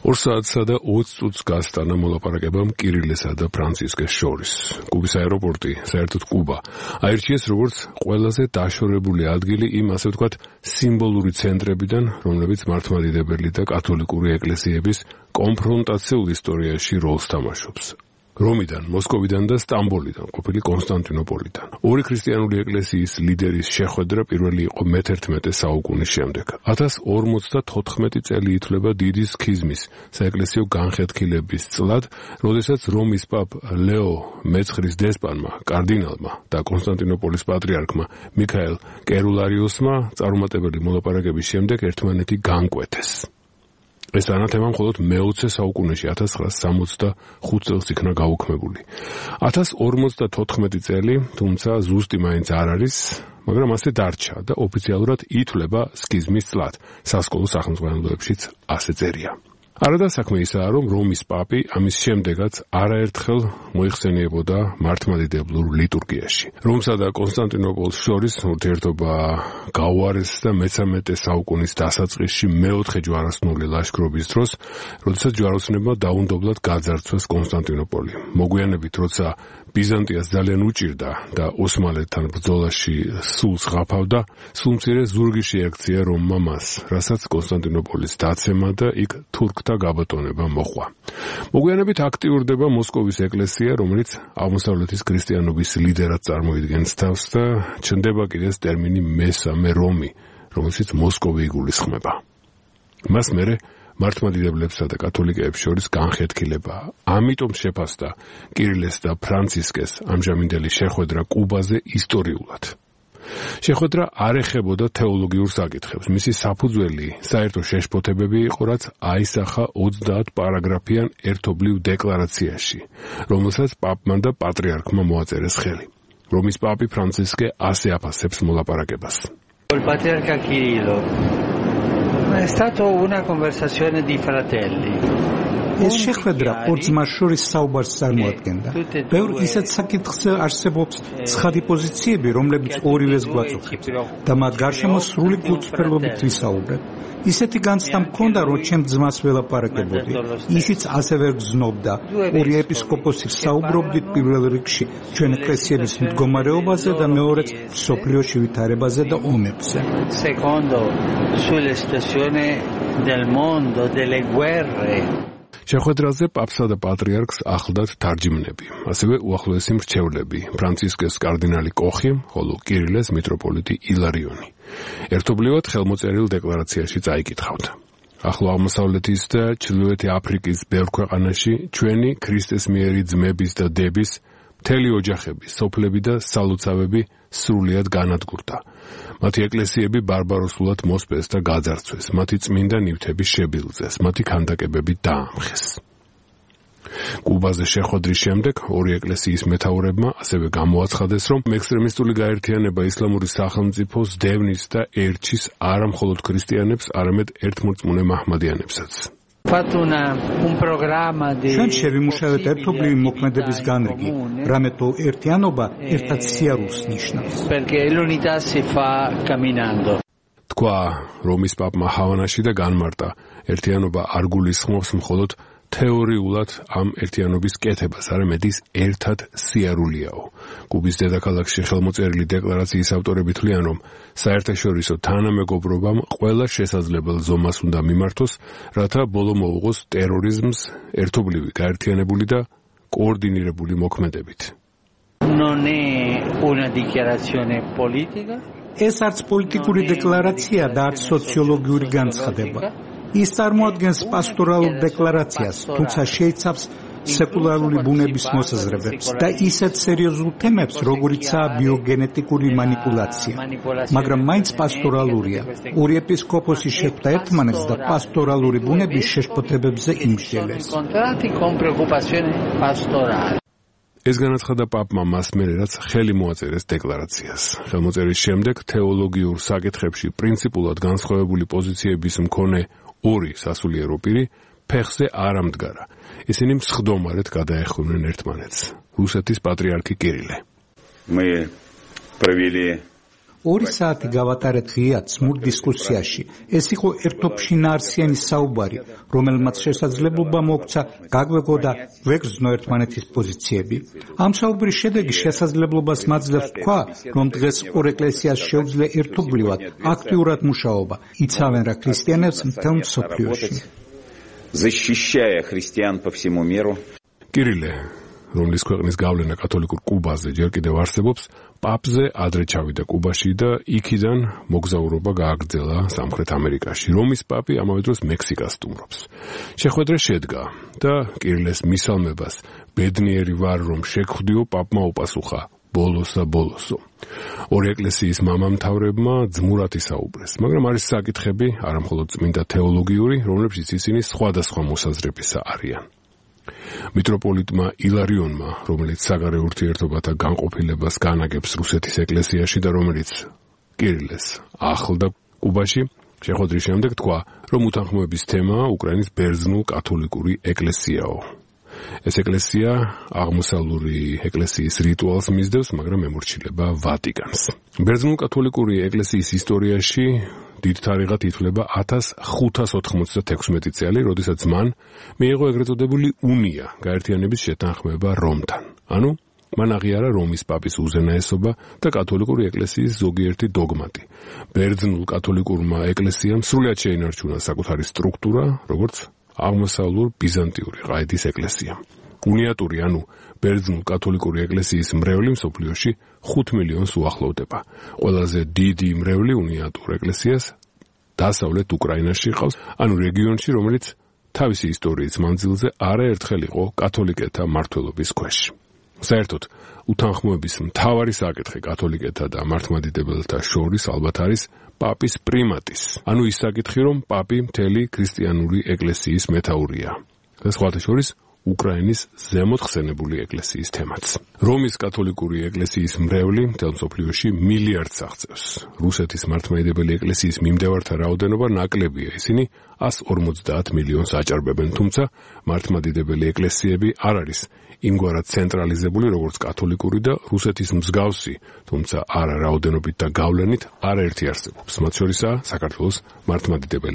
2 საათსა და 20 წუთს გასტანა მოლაპარაკებამ კირილესა და ფრანცისკეს შორის. კუბის აეროპორტი, საერთოდ კუბა, აირჩიეს როგორც ყველაზე დაშორებული ადგილი იმ, ასე ვთქვათ, სიმბოლური ცენტრებიდან, რომლებიც მართლმადიდებელი და კათოლიკური ეკლესიების კონფრონტაციულ ისტორიაში როლს თამაშობს. რომიდან, მოსკოვიდან და სტამბოლიდან, ყოფილი კონსტანტინოპოლიდან. ორი ქრისტიანული ეკლესიის ლიდერის შეხვედრა პირველი იყო მე-11 საუკუნის შემდეგ. 1054 წელი ითვლება დიდი სქიზმის, საეკლესიო განხეთქილების წლად, როდესაც რომის პაპ ლეო მეცხრის დესპანმა, კარდინალმა და კონსტანტინოპოლის პატრიარქმა მიქაელ კერულარიუსმა წარუმატებელი მოლაპარაკების შემდეგ ერთმანეთი განკვეთეს. ეს ანათემა მხოლოდ მე-20 საუკუნეში 1965 წელს იქნა გაუქმებული. 1054 წელი, თუმცა ზუსტი მაინც არ არის, მაგრამ ასე დარჩა და ოფიციალურად ითვლება სქიზმის წლად. სასკოლო სახელმძღვანელოებშიც ასე წერია. არადა საქმე ისაა, რომ რომის პაპი ამის შემდეგაც არაერთხელ მოიხსენიებოდა მართლმადიდებლურ ლიტურგიაში. რომსა და კონსტანტინოპოლს შორის ურთიერთობა გაუარეს და მე-13 საუკუნის დასაწყისში მე-4 ჯვაროსნული ლაშქრობის დროს, როდესაც ჯვაროსნებმა დაუნდობლად გაძარცვეს კონსტანტინოპოლი. მოგვიანებით, როცა ბიზანტიას ძალიან უჭირდა და ოსმალეთთან ბრძოლაში სულს ღაფავდა, სულ მცირე ზურგი შეაქცია რომმა მას, რასაც კონსტანტინოპოლის დაცემა და იქ თურქთა გაბატონება მოჰყვა. მოგვიანებით აქტიურდება მოსკოვის ეკლესია, რომელიც აღმოსავლეთის ქრისტიანობის ლიდერად წარმოიდგენს თავს და ჩნდება კიდეც ტერმინი მესამე რომი, რომელშიც მოსკოვი იგულისხმება. მას მერე მართლმადიდებლებსა და კათოლიკეებს შორის განხეთქილება. ამიტომ შეფასდა კირილეს და ფრანცისკეს ამჟამინდელი შეხვედრა კუბაზე ისტორიულად. შეხვედრა არ ეხებოდა თეოლოგიურ საკითხებს. მისი საფუძველი საერთო შეშფოთებები იყო, რაც აისახა 30 პარაგრაფიან ერთობლივ დეკლარაციაში, რომელსაც პაპმა და პატრიარქმა მოაწერეს ხელი. რომის პაპი ფრანცისკე ასე აფასებს მოლაპარაკებას. Patriarca Kirillo è stata una conversazione di fratelli. ეს შეხვედრა ორ ძმას შორის საუბარს წარმოადგენდა. ბევრ ისეთ საკითხზე არსებობს ცხადი პოზიციები, რომლებიც ორივეს გვაწუხებს და მათ გარშემო სრული გულწრფელობით ვისაუბრებ. ისეთი განცდა მქონდა, რომ ჩემ ძმას ველაპარაკებოდი. ისიც ასე ვერ გზნობდა. ორი ეპისკოპოსი საუბრობდით პირველ რიგში ჩვენ ეკლესიების მდგომარეობაზე და მეორედ სოფლიოში ვითარებაზე და ომებზე. Secondo sulla situazione del mondo, delle guerre. შეხვედრაზე პაპსა და პატრიარქს ახლდათ თარჯიმნები, ასევე უახლოესი მრჩევლები, ფრანცისკეს კარდინალი კოხი, ხოლო კირილეს მიტროპოლიტი ილარიონი. ერთობლივად ხელმოწერილ დეკლარაციაში წაიკითხავთ. ახლო აღმოსავლეთის და ჩრდილოეთი აფრიკის ბევრ ქვეყანაში ჩვენი ქრისტეს მიერი ძმების და დების მთელი ოჯახები, სოფლები და სალოცავები სრულიად განადგურდა. მათი ეკლესიები ბარბაროსულად მოსპეს და გაძარცვეს, მათი წმინდა ნივთები შებილძეს, მათი ქანდაკებები დაამხეს. კუბაზე შეხვედრის შემდეგ ორი ეკლესიის მეთაურებმა ასევე გამოაცხადეს, რომ ექსტრემისტული გაერთიანება ისლამური სახელმწიფოს დევნის და ერჩის არა მხოლოდ ქრისტიანებს, არამედ ერთმორწმუნე მაჰმადიანებსაც. ჩვენ შევიმუშავეთ ერთობლივი მოქმედების განრიგი, რამე თუ ერთიანობა ერთად სიარულს ნიშნავს. თქვა რომის პაპმა ჰავანაში და განმარტა, ერთიანობა არ გულისხმობს მხოლოდ თეორიულად ამ ერთიანობის კეთებას, არამედ ის ერთად სიარულიაო. კუბის დედაქალაქში ხელმოწერილი დეკლარაციის ავტორები თვლიან, რომ საერთაშორისო თანამეგობრობამ ყველა შესაძლებელ ზომას უნდა მიმართოს, რათა ბოლო მოუღოს ტერორიზმს ერთობლივი, გაერთიანებული და კოორდინირებული მოქმედებით. ეს არც პოლიტიკური დეკლარაცია და არც სოციოლოგიური განცხადება. ის წარმოადგენს პასტორალურ დეკლარაციას, თუმცა შეიცავს სეკულარული ბუნების მოსაზრებებს და ისეთ სერიოზულ თემებს, როგორიცაა ბიოგენეტიკური манипуляция. მაგრამ მაინც პასტორალურია. ორი ეპისკოპოსი შეხვდა ერთმანეთს და პასტორალური ბუნების შეშფოთებებზე იმსჯელეს. ეს განაცხადა პაპმა მას მერე, რაც ხელი მოაწერეს დეკლარაციას. ხელმოწერის შემდეგ თეოლოგიურ საკითხებში პრინციპულად განსხვავებული პოზიციების მქონე ორი სასულიერო პირი ფეხზე არ ამდგარა. ისინი მსხდომარედ გადაეხვნენ ერთმანეთს. რუსეთის პატრიარქი კირილე. 2 საათი გავატარეთ ღიად სმულ დისკუსიაში. ეს იყო ერთობშინაარსიანი საუბარი, რომელმაც შესაძლებლობა მოგვცა გაგვეგო და ვეგრძნო ერთმანეთის პოზიციები. ამ საუბრის შედეგი შესაძლებლობას მაძლევს თქვა, რომ დღეს ორ ეკლესიას შეუძლია ერთობლივად აქტიურად მუშაობა, იცავენ რა ქრისტიანებს მთელ მსოფლიოში. защищая христиан по всему миру. კირილე, რომლის ქვეყნის გავლენა კათოლიკურ კუბაზე ჯერ კიდევ არსებობს, პაპზე ადრე ჩავიდა კუბაში და იქიდან მოგზაურობა გააგრძელა სამხრეთ ამერიკაში. რომის პაპი ამავე დროს მექსიკას სტუმრობს. შეხვედრა შედგა და კირილეს მისალმებას ბედნიერი ვარ, რომ შეგხვდიო, პაპმა უპასუხა ბოლოსო. ორი ეკლესიის მამამთავრებმა ძმურად ისაუბრეს, მაგრამ არის საკითხები, არა მხოლოდ წმინდა თეოლოგიური, რომლებშიც ისინი სხვადასხვა მოსაზრებისა არიან. მიტროპოლიტმა ილარიონმა, რომელიც საგარეო ურთიერთობათა განყოფილებას განაგებს რუსეთის ეკლესიაში და რომელიც კირილეს ახლდა კუბაში, შეხვედრის შემდეგ თქვა, რომ უთანხმოების თემა უკრაინის ბერძნულ-კათოლიკური ეკლესიაო. ეს ეკლესია აღმოსავლური ეკლესიის რიტუალს მისდევს, მაგრამ ემორჩილება ვატიკანს. ბერძნულ-კათოლიკური ეკლესიის ისტორიაში დიდ თარიღად ითვლება 1596 წელი, როდესაც მან მიიღო ეგრეთ წოდებული უნია, გაერთიანების შეთანხმება რომთან. ანუ მან აღიარა რომის პაპის უზენაესობა და კათოლიკური ეკლესიის ზოგიერთი დოგმატი. ბერძნულ-კათოლიკურმა ეკლესიამ სრულად შეინარჩუნა საკუთარი სტრუქტურა, როგორც აღმოსავლურ ბიზანტიური ყაიდის ეკლესია. უნიატური, ანუ ბერძნულ-კათოლიკური ეკლესიის მრევლი მსოფლიოში 5 მილიონს უახლოვდება. ყველაზე დიდი მრევლი უნიატურ ეკლესიას დასავლეთ უკრაინაში ყავს, ანუ რეგიონში, რომელიც თავისი ისტორიის მანძილზე არაერთხელ იყო კათოლიკეთა მმართველობის ქვეშ. საერთოდ, უთანხმოების მთავარი საკითხი კათოლიკეთა და მართლმადიდებელთა შორის ალბათ არის პაპის პრიმატის, ანუ ის საკითხი, რომ პაპი მთელი ქრისტიანული ეკლესიის მეთაურია. და სხვათა შორის უკრაინის ზემოთ ხსენებული ეკლესიის თემაც. რომის კათოლიკური ეკლესიის მრევლი მთელ მსოფლიოში მილიარდს აღწევს. რუსეთის მართლმადიდებელი ეკლესიის მიმდევართა რაოდენობა ნაკლებია, ისინი 150 მილიონს აჭარბებენ, თუმცა მართლმადიდებელი ეკლესიები არ არის იმგვარად ცენტრალიზებული, როგორც კათოლიკური და რუსეთის მსგავსი, თუმცა არა რაოდენობით და გავლენით არაერთი არსებობს. მათ შორისაა საქართველოს მართლმადიდებელი